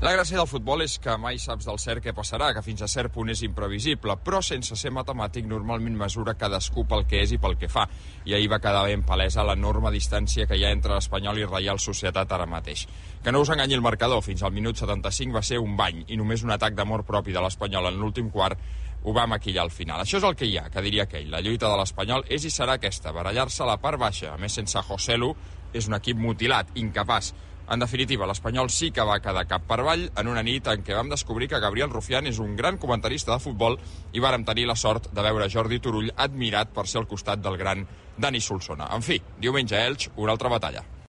La gràcia del futbol és que mai saps del cert què passarà, que fins a cert punt és imprevisible, però sense ser matemàtic normalment mesura cadascú pel que és i pel que fa. I ahir va quedar ben palesa l'enorme distància que hi ha entre l'Espanyol i Reial Societat ara mateix. Que no us enganyi el marcador, fins al minut 75 va ser un bany i només un atac d'amor propi de l'Espanyol en l'últim quart ho va maquillar al final. Això és el que hi ha, que diria aquell. La lluita de l'Espanyol és i serà aquesta, barallar-se a la part baixa. A més, sense Joselu, és un equip mutilat, incapaç. En definitiva, l'Espanyol sí que va quedar cap per avall en una nit en què vam descobrir que Gabriel Rufián és un gran comentarista de futbol i vàrem tenir la sort de veure Jordi Turull admirat per ser al costat del gran Dani Solsona. En fi, diumenge a Elx, una altra batalla.